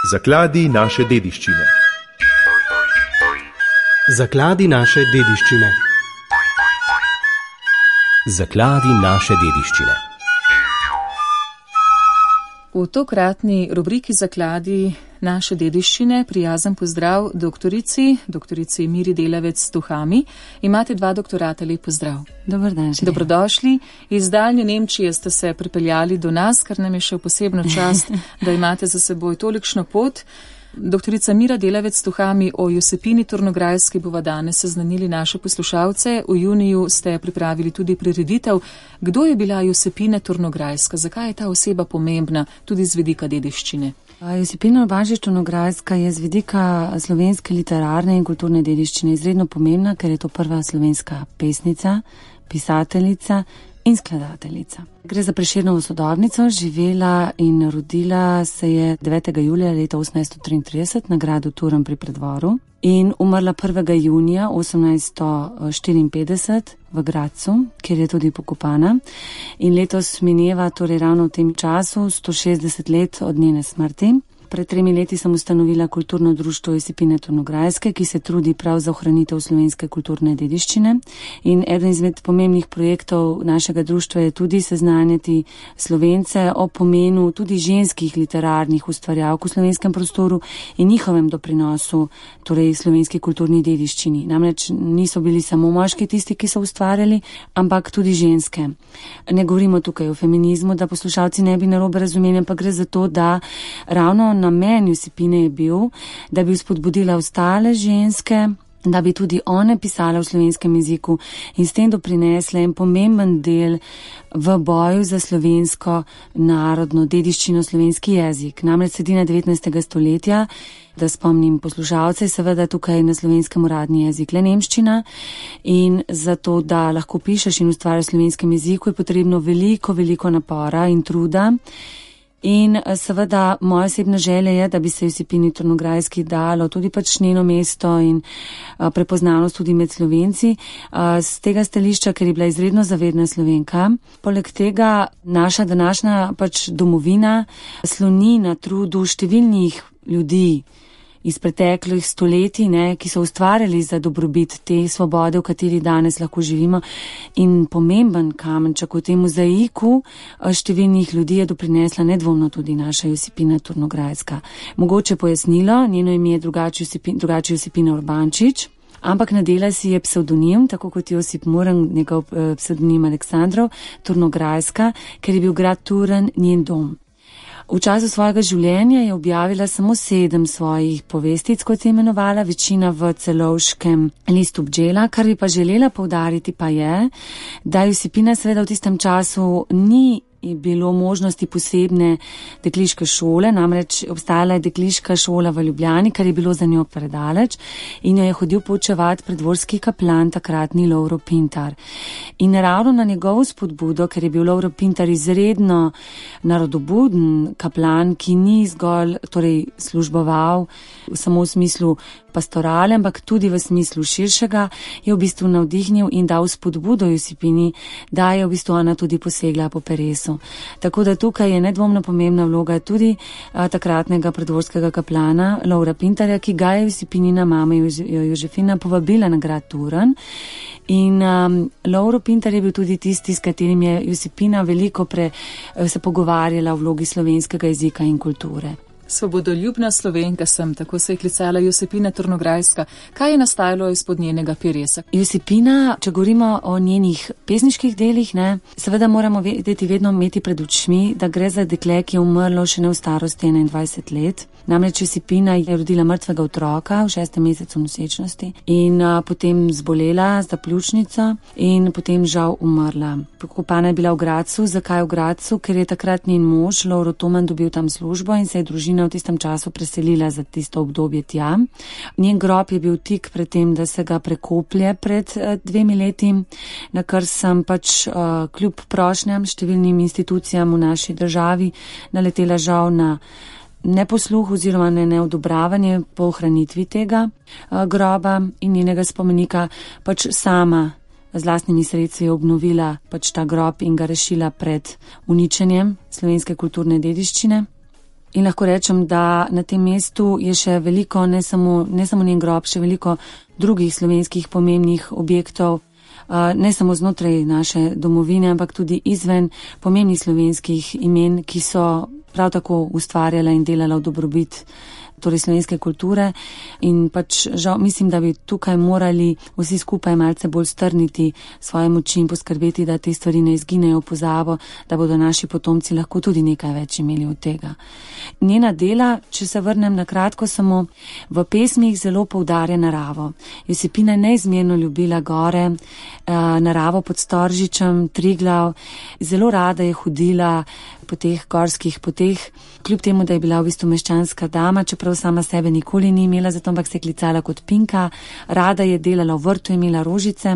Zakladi naše dediščine. Zakladi naše dediščine. Zakladi naše dediščine. V tokratni rubriki Zakladi naše dediščine prijazen pozdrav doktorici Miri Delavec-Tuhami. Imate 2 doktorata, lep pozdrav. Dobar dan. Dobrodošli. Iz daljne Nemčije ste se pripeljali do nas, kar nam je še posebno čast, da imate za seboj tolikšno pot. Doktorica Mira Delavec-Tuhami, o Josipini Turnograjski bova danes seznanili naše poslušalce. V juniju ste pripravili tudi prireditev. Kdo je bila Josipina Turnograjska? Zakaj je ta oseba pomembna tudi z vidika dediščine? Josipina Turnograjska je z vidika slovenske literarne in kulturne dediščine izredno pomembna, ker je to prva slovenska pesnica, pisateljica in skladateljica. Gre za Prešernovo sodobnico, živela in rodila se je 9. julija leta 1833 na gradu Turn pri Preddvoru in umrla 1. junija 1854 v Gradcu, kjer je tudi pokopana. In letos mineva torej ravno v tem času 160 let od njene smrti. Pred 3 leti sem ustanovila kulturno društvo Josipine Turnograjske, ki se trudi prav za ohranitev slovenske kulturne dediščine. In eden izmed pomembnih projektov našega društva je tudi seznanjati Slovence o pomenu tudi ženskih literarnih ustvarjalk v slovenskem prostoru in njihovem doprinosu, torej slovenski kulturni dediščini. Namreč niso bili samo moški tisti, ki so ustvarjali, ampak tudi ženske. Ne govorimo tukaj o feminizmu, da poslušalci ne bi narobe razumeli, ampak gre za to, da ravno namen Josipine je bil, da bi spodbudila ostale ženske, da bi tudi one pisale v slovenskem jeziku in s tem doprinesle en pomemben del v boju za slovensko narodno dediščino, slovenski jezik. Namreč sredina 19. stoletja, da spomnim poslušalce, seveda tukaj na slovenskem uradni jezik le nemščina in zato, da lahko pišeš in ustvarjaš v slovenskem jeziku, je potrebno veliko napora in truda. In seveda moja osebna želja je, da bi se Josipini Turnograjski dalo tudi pač njeno mesto in prepoznavnost tudi med Slovenci. Z tega stališča, ker je bila izredno zavedna Slovenka. Poleg tega naša današnja pač domovina sloni na trudu številnih ljudi iz preteklih stoletij, ki so ustvarjali za dobrobit te svobode, v kateri danes lahko živimo. In pomemben kamenček v tem mozaiku številnih ljudi je doprinesla nedvomno tudi naša Josipina Turnograjska. Mogoče pojasnilo, njeno ime je drugače Josipina Urbančič, ampak nadela si je psevdonim, tako kot Josip Moran, njegov psevdonim Aleksandrov, Turnograjska, ker je bil grad Turn njen dom. V času svojega življenja je objavila samo 7 svojih povestic, kot je imenovala, večina v Celovškem listu Bdžela. Kar bi pa želela poudariti pa je, da Josipina seveda v tistem času ni bilo možnosti posebne dekliške šole, namreč obstajala je dekliška šola v Ljubljani, kar je bilo za njo predaleč in jo je hodil poučevati preddvorski kaplan, takratni Lovro Pintar. In ravno na njegovo spodbudo, ker je bil Lovro Pintar izredno narodobuden kaplan, ki ni zgolj služboval samo v smislu pastorale, ampak tudi v smislu širšega, je v bistvu navdihnil in dal spodbudo Josipini, da je v bistvu ona tudi posegla po peresu. Tako da tukaj je nedvomno pomembna vloga tudi takratnega preddvorskega kaplana Lovra Pintarja, ki ga je Josipinina mama Jožefina povabila na grad Turn. In Lovro Pintar je bil tudi tisti, s katerim je Josipina veliko se pogovarjala o vlogi slovenskega jezika in kulture. Svobodoljubna Slovenka sem, tako se je klicala Josipina Turnograjska. Kaj je nastajalo izpod njenega peresa? Josipina, če govorimo o njenih pesniških delih, seveda moramo vedno imeti pred očmi, da gre za dekle, ki je umrlo še ne v starosti 21 let. Namreč Josipina je rodila mrtvega otroka v 6. mesecu nosečnosti in potem zbolela za pljučnico in potem žal umrla. Pokopana je bila v Gradcu. Zakaj v Gradcu? Ker je takrat njen mož, Lovro Toman, dobil tam službo in se je družina v tistem času preselila za tisto obdobje tja. Njen grob je bil tik pred tem, da se ga prekoplje pred 2 leti, na kar sem pač kljub prošnjam številnim institucijam v naši državi naletela žal na neposluh oziroma neodobravanje po ohranitvi tega groba in njenega spomenika. Pač sama z lastnimi sredstvi obnovila pač ta grob in ga rešila pred uničenjem slovenske kulturne dediščine. In lahko rečem, da na tem mestu je še veliko, ne samo njen grob, še veliko drugih slovenskih pomembnih objektov, ne samo znotraj naše domovine, ampak tudi izven pomembnih slovenskih imen, ki so prav tako ustvarjala in delala v dobrobit torej slovenske kulture. In pač žal mislim, da bi tukaj morali vsi skupaj malce bolj strniti svoje moči in poskrbeti, da te stvari ne izginejo v pozabo, da bodo naši potomci lahko tudi nekaj več imeli od tega. Njena dela, če se vrnem na kratko, samo v pesmih zelo poudarja naravo. Josipina je neizmerno ljubila gore, naravo pod Storžičem, Triglav, zelo rada je hodila po teh gorskih poteh, kljub temu, da je bila v bistvu meščanska dama, čeprav sama sebe nikoli ni imela, zato ampak se je klicala kot Pinka, rada je delala v vrtu, imela rožice.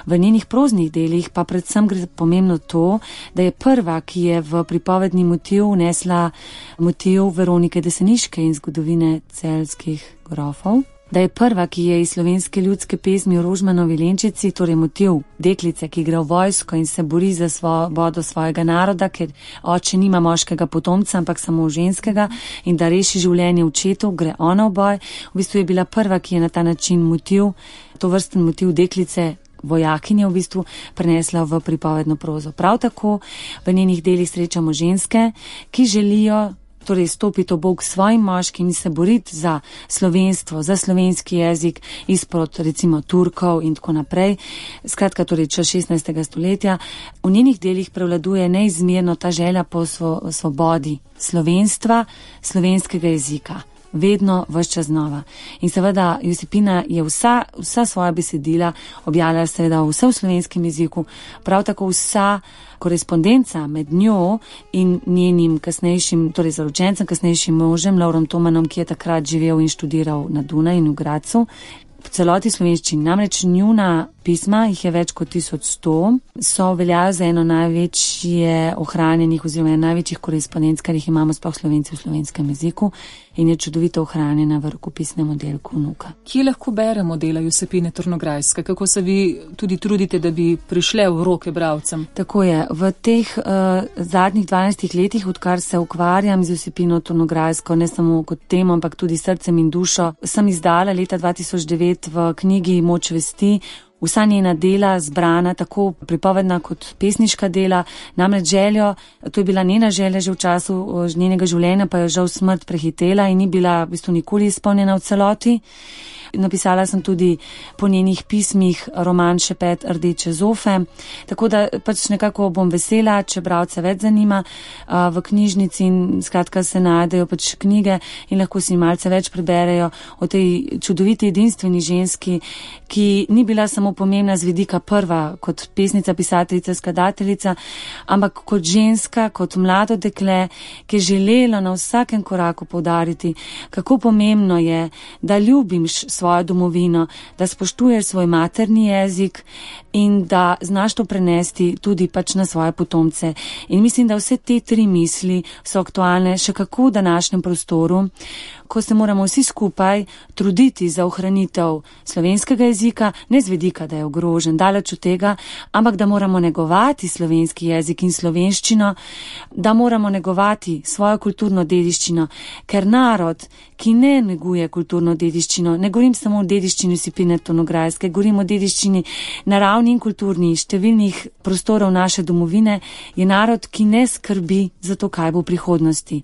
V njenih proznih delih pa predvsem gre pomembno to, da je prva, ki je v pripovedni motiv vnesla motiv Veronike Deseniške in zgodovine celjskih grofov, da je prva, ki je iz slovenske ljudske pesmi o Rožmanovi Lenčici, torej motiv deklice, ki gre v vojsko in se bori za svobodo svojega naroda, ker oče nima moškega potomca, ampak samo ženskega, in da reši življenje očetu, gre ona v boj. V bistvu je bila prva, ki je na ta način motiv, to vrsten motiv deklice, vojakinje v bistvu prenesla v pripovedno prozo. Prav tako v njenih delih srečamo ženske, ki želijo torej stopiti ob bok svojim moškim in se boriti za slovenstvo, za slovenski jezik izprot recimo Turkov in tako naprej. Skratka, torej čez 16. stoletja. V njenih delih prevladuje neizmerno ta želja po svobodi slovenstva, slovenskega jezika. Vedno, ves čas znova. In seveda Josipina je vsa svoja besedila objavljala seveda vse v slovenskem jeziku, prav tako vsa korespondenca med njo in njenim kasnejšim, torej zaročencem, kasnejšim možem, Lovrom Tomanom, ki je takrat živel in študiral na Dunaju in v Gradcu, v celoti slovenščini. Namreč njuna pisma, jih je več kot 1100, veljajo za eno največje ohranjenih oziroma največjih korespondenc, kar jih imamo sploh Slovenci v slovenskem jeziku, in je čudovito ohranjena v rokopisnem oddelku Nuka. Kje lahko beremo dela Josipine Tornograjske? Kako se vi tudi trudite, da bi prišle v roke bralcem? Tako je. V teh zadnjih 12 letih, odkar se ukvarjam z Josipino Tornograjsko, ne samo kot temo, ampak tudi srcem in dušo, sem izdala leta 2009 v knjigi Moč vesti vsa njena dela zbrana, tako pripovedna kot pesniška dela, namreč željo, to je bila njena želja že v času njenega življenja, pa je žal smrt prehitela in ni bila v bistvu nikoli izpolnjena v celoti. Napisala sem tudi po njenih pismih roman Šepet rdeče zofe, tako da pač nekako bom vesela, če bralce več zanima v knjižnici in skratka se najdejo pač knjige in lahko si malce več preberejo o tej čudoviti edinstveni ženski, ki ni bila samo pomembna z vidika prva kot pesnica, pisateljica, skladateljica, ampak kot ženska, kot mlado dekle, ki je želela na vsakem koraku poudariti, kako pomembno je, da ljubim svojo domovino, da spoštuješ svoj materni jezik in da znaš to prenesti tudi pač na svoje potomce. In mislim, da vse te tri misli so aktualne še kako v današnjem prostoru, ko se moramo vsi skupaj truditi za ohranitev slovenskega jezika, ne z vidika, da je ogrožen, daleč od tega, ampak da moramo negovati slovenski jezik in slovenščino, da moramo negovati svojo kulturno dediščino, ker narod, ki ne neguje kulturno dediščino, ne govorim samo o dediščini Josipine Tornograjske, govorim o dediščini naravni in kulturni številnih prostorov naše domovine, je narod, ki ne skrbi za to, kaj bo v prihodnosti.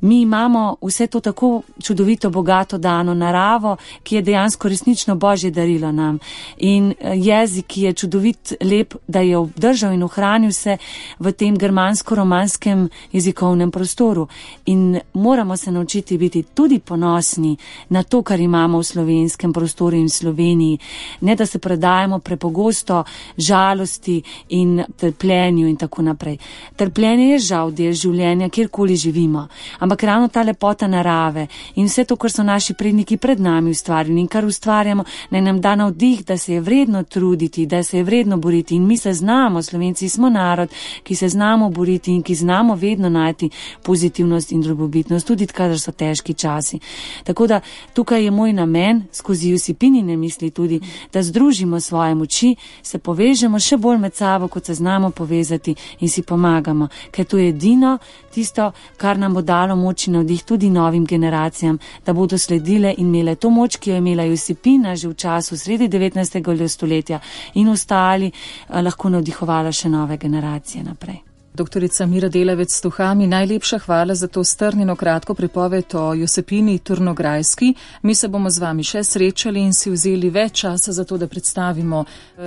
Mi imamo vse to tako čudovito, bogato dano naravo, ki je dejansko resnično božje darilo nam. In jezik, ki je čudovit, lep, da je obdržal in ohranil se v tem germansko-romanskem jezikovnem prostoru. In moramo se naučiti biti tudi ponosni na to, kar imamo v slovenskem prostoru in v Sloveniji. Ne, da se predajamo prepogosto žalosti in trpljenju in tako naprej. Trpljenje je žal del življenja, kjerkoli živimo. Ampak ravno ta lepota narave in vse to, kar so naši predniki pred nami ustvarjali in kar ustvarjamo, naj nam da navdih, da se je vredno truditi, da se je vredno boriti in mi se znamo, Slovenci smo narod, ki se znamo boriti in ki znamo vedno najti pozitivnost in drugobitnost, tudi kadar so težki časi. Tako da tukaj je moj namen, skozi Josipinine misli tudi, da združimo svoje moči, se povežemo še bolj med sabo, kot se znamo povezati in si pomagamo, ker to je edino tisto, kar nam bo dalo moč in navdih tudi novim generacijam, da bodo sledile in imele to moč, ki jo je imela Josipina že v času sredi 19. stoletja in ostali lahko navdihovala še nove generacije naprej. Doktorica Mira Delavec Tuhami, najlepša hvala za to strnjeno kratko pripoved o Josipini Turnograjski. Mi se bomo z vami še srečali in si vzeli več časa za to, da predstavimo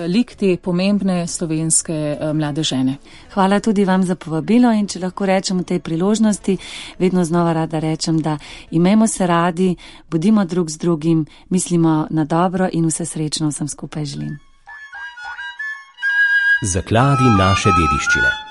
lik te pomembne slovenske mlade žene. Hvala tudi vam za povabilo in če lahko rečem v tej priložnosti, vedno znova rada rečem, da imejmo se radi, bodimo drug z drugim, mislimo na dobro in vse srečno vsem skupaj želim. Zakladi naše dediščine.